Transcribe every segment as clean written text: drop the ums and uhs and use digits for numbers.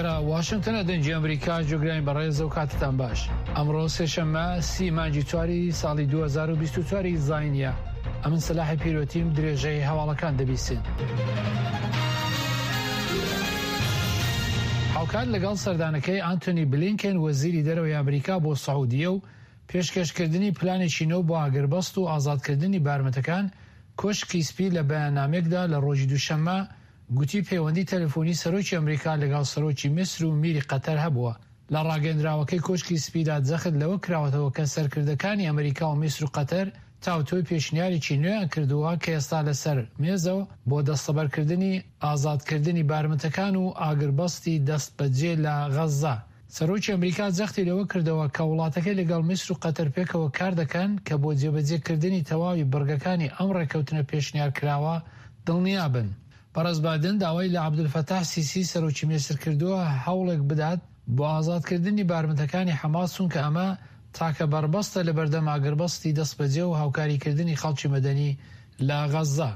لێرە واشنتنە دەنگی ئەمریکا جۆگرانی بەڕێز و کاتتان باش ئەمڕۆ سێشەممە سی مانگی چواری ساڵی 2024 زینە ئەمن سەلاحی پیرۆتیم درێژەی هەواڵەکان دەبیسن. هاوکات لەگەڵ سەردانەکەی ئانتۆنی بلینکن وەزیری دەرەوەی ئەمریکا بۆ سعودیە و پێشکەشکردنی پلانێکی نوێ بۆ ئاگربەست و ئازادکردنی بارمتەکان، کۆشکی سپی لە بەیاننامەیەکدا لە ڕۆژی دووشەممە گوتی پەیوەندی تەلەفۆنی سەرۆکی ئەمریکا لەگەڵ سەرۆکی میسر و میری قەتەر هەبووە. لە ڕاگەیەندراوەکەی کۆشکی سپیدا جەخت لەوە کراوەتەوە کە سەرکردەکانی ئەمریکا و میسر و قەتەر تاوتوێی پێشنیارێکی نوێیان کردووە کە ئێستا لەسەر مێزە و بۆ دەستەبەرکردنی ئازادکردنی بارمتەکان و ئاگربەستی دەستبەجێ لە غەززە. سەرۆکی ئەمریکا جەختی لەوە کردەوە کە وڵاتەکەی لەگەڵ میسر و قەتەر پێکەوە کاردەکەن کە بۆ جێبەجێکردنی تەواوی بڕگەکانی ئەم ڕێککەوتنە پێشنیارکراوە دڵنیابن. بەڕێز بایدن داوای لە عەبدولفەتاح سیسی سەرۆکی میسر کردووە هەوڵێک بدات بۆ ئازادکردنی بارمتەکانی حەماس چونکە ئەمە تاکە بەربەستە لەبەردەم ئاگربەستی دەستبەجێ و هاوکاریکردنی خەڵکی مەدەنی لە غەززە.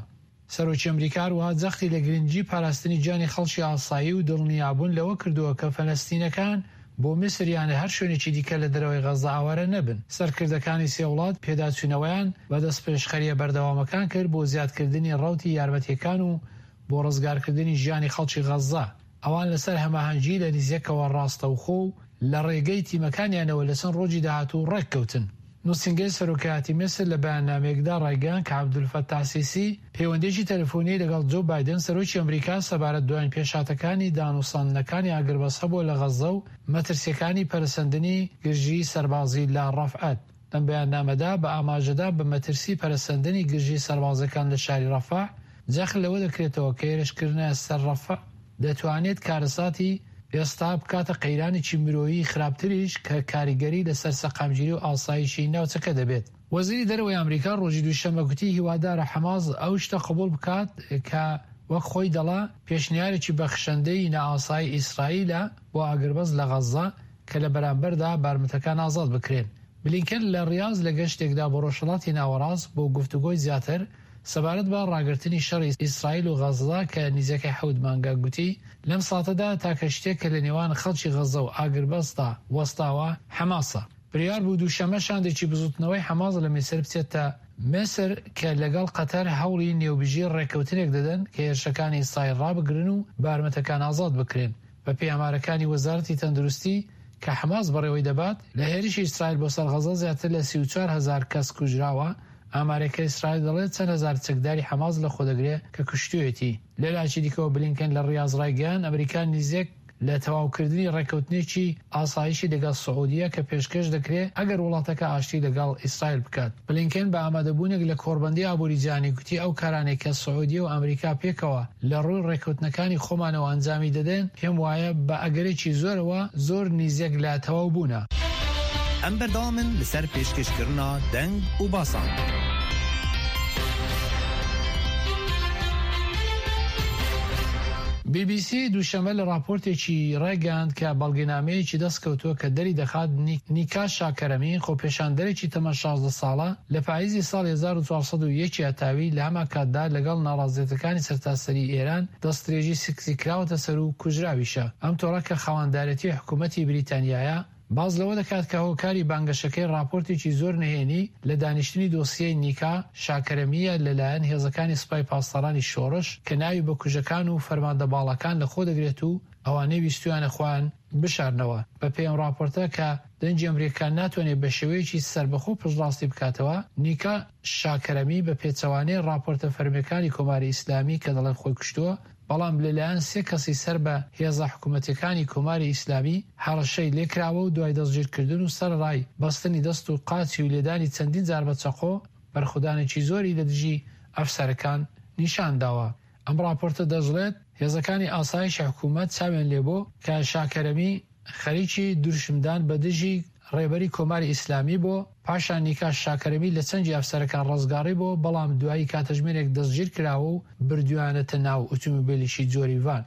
سەرۆکی ئەمریکا هەروەها جەختی لە گرنگی پاراستنی گیانی خەڵکی ئاسایی و دڵنیابوون لەوە کردووە کە فەلەستینەکان بۆ میسر یان هەر شوێنێکی دیکە لە دەرەوەی غەززە ئاوارە نەبن. سەرکردەکانی سێ وڵات پێداچوونەوەیان بە دەستپێشخەرییە بەردەوامەکان کرد بۆ زیادکردنی ڕەوتی یارمەتییەکان و بۆ ڕزگارکردنی ژیانی خەڵکی غەززە. ئەوان لەسەر هەماهەنگی لە نزیکەوە ڕاستەوخۆ و لە ڕێگەی تیمەکانیانەوە لە چەند ڕۆژی داهاتوو ڕێککەوتن. نووسینگەی سەرۆکایەتی میسر لە بەیاننامەیەکدا ڕایگەیاند کە عەبدولفەتاح سیسی پەیوەندییەکی تەلەفۆنیی لەگەڵ جۆ بایدن سەرۆکی ئەمریکا سەبارەت دوایین پێشهاتەکانی دانوستاندنەکانی ئاگربەست هەبووە لە غەززە و مەترسییەکانی پەرەسەندنی گرژیی سەربازی لە ڕەفعەت. لەم بەیاننامەدا بە ئاماژەدان بە مەترسی پەرەسەندنی گرژی سەربازیەکان لە شاری ڕەفەح، جەخت لەوە دەکرێتەوە کە هێرشکردنە سەر ڕەفەح دەتوانێت کارەساتی ئێستا بکاتە قەیرانێکی مرۆیی خراپتریش کە کاریگەری لەسەر سەقامگیری و ئاسایشی ناوچەکە دەبێت. وەزیری دەرەوەی ئەمریکا ڕۆژی دووشەممە گوتی هیوادارە حەماس ئەو شتە قبوڵ بکات کە وەک خۆی دەڵا پێشنیارێکی بەخشەندەی نائاسایی ئیسرائیلە بۆ ئاگربەست لە غەززە کە لە بەرامبەردا بارمتەکان ئازاد بکرێن. بلینکن لە ڕیاز لە گەشتێکدا بۆ ڕۆژهەڵاتی ناوەڕاست بۆ گفتوگۆی زیاتر سەبارەت بە ڕاگرتنی شەڕی ئیسرائیل و غەززە کە نزیکەی حەوت مانگە گوتی، لەم ساتەدا تاکە شتێک کە لە نێوان خەڵکی غەززە و ئاگربەستدا وەستاوە، حەماسە. بریار بوو دووشەممە شاندێکی بزووتنەوەی حەماس لە میسر بچێتە میسر کە لەگەڵ قەتەر هەوڵی نێوبژی ڕێککەوتنێک دەدەن کە هێرشەکانی ئیسرائیل ڕابگرن و بارمتەکان ئازاد بکرێن. بەپێی ئامارەکانی وەزارەتی تەندروستی کە حەماس بەڕێوەی دەبات، لە هێرشی ئیسرائیل بۆ سەر غەزە زیاتر لە 34 هەزار کەس کوژراوە، ئامارێک کە ئیسرائیل دەڵێت چەند هەزار چەکداری حەماس لەخۆدەگرێت کە کوشتوویەتی. لەلایەکی دیکەوە بلینکن لە ڕیاز ڕایگەیاند، ئەمریکا نزیک لە تەواوکردنی ڕێککەوتنێکی ئاسایشی لەگەڵ سعودیە کە پێشکەش دەکرێت ئەگەر وڵاتەکە ئاشتی لەگەڵ ئیسرائیل بکات. بلینکن بە ئامادەبوونێک لە کۆڕبەندی ئابووری جیهانی گوتی ئەو کارانەی کە سعودیە و ئەمریکا پێکەوە لە ڕووی ڕێککەوتنەکانی خۆمانەوە ئەنجامی دەدەن، پێم وایە بە ئەگەرێکی زۆرەوە زۆر نیزیک لە تەواوبوونە. ئەم بەردەوامن لەسەر پێشکەشکردنا دەنگ و باسان. بی بی سی دووشەممە لە ڕاپۆرتێکی ڕایگەیاند کە بەڵگەنامەیەکی دەستکەوتووە کە دەریدەخات نیکا شاکەرەمی، خۆپێشاندەرێکی تەمەن 16 ساڵە، لە پاییزی ساڵی 1401 ی هەتاوی لە هەمان کاتدا لەگەڵ ناڕازیەتەکانی سەرتاسەری ئێران دەستدرێژی سکسی کراوەتە سەر و کوژراویشە. ئەم تۆڕە کە خاوەندارێتی حکوومەتی بریتانیایە، باس لەوە دەکات کە هۆکاری بانگەشەکەی ڕاپۆرتێکی زۆر نهێنی لە دانیشتنی دۆسیەی نیکا شاکەرەمییە لەلایەن هێزەکانی سپای پاسدارانی شۆڕش کە ناوی بکوژەکان و فەرماندە باڵاکان لەخۆ دەگرێت و ئەوانەی ویستویانە خۆیان بشارنەوە. بەپێی ئەم ڕاپۆرتە کە دەنگی ئەمریکا ناتوانێت بە شێوەیەکی سەربەخۆ پشتڕاستی بکاتەوە، نیکا شاکەرەمی بە پێچەوانەی ڕاپۆرتە فەرمییەکانی کۆماری ئیسلامی کە دەڵێن خۆی کوشتووە، بەڵام لەلایەن سێ کەسی سەر بە هێزە حکوومەتییەکانی کۆماری ئیسلامی هەڕەشەی لێکراوە و دوای دەستگیرکردن و سەرەڕای بەستنی دەست و قاچی و لێدانی چەندین جار بە چەقۆ، بەرخودانێکی زۆری لە دژی ئەفسەرەکان نیشان داوە. ئەم ڕاپۆرتە دەشڵێت، هێزەکانی ئاسایشی حکوومەت چاویان لێبوو کە شاکەرەمی خەریکی دروشمدان بە دژی ڕێبەری کۆماری ئیسلامی بۆ، پاشان نیکا شاکەرەمی لە چنگی ئەفسەرەکان ڕزگاڕی بۆ، بەڵام دوایی کاتژمێرێک دەستگیر کراوە و بردویانەتە ناو ئوتومبێلیکی جۆری ڤان.